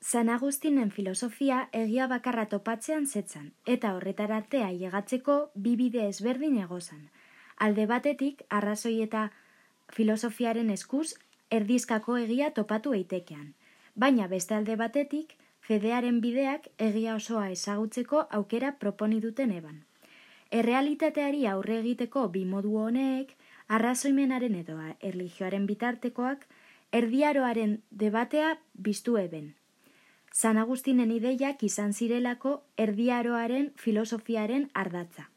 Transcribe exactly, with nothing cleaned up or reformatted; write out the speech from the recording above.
San Agustinen filosofia egia bakarra topatzean zetzan, eta horretarartea llegatzeko bi bide ezberdin egozan. Alde batetik, arrazoi eta filosofiaren eskuz erdizkako egia topatu eitekean. Baina beste alde batetik, fedearen bideak egia osoa ezagutzeko aukera proponi duten eban. Errealitateari aurre egiteko bi modu honek, arrazoimenaren edo erlijioaren bitartekoak, erdiaroaren debatea biztu eben. San Agustinen ideiak izan zirelako erdiaroaren filosofiaren ardatza.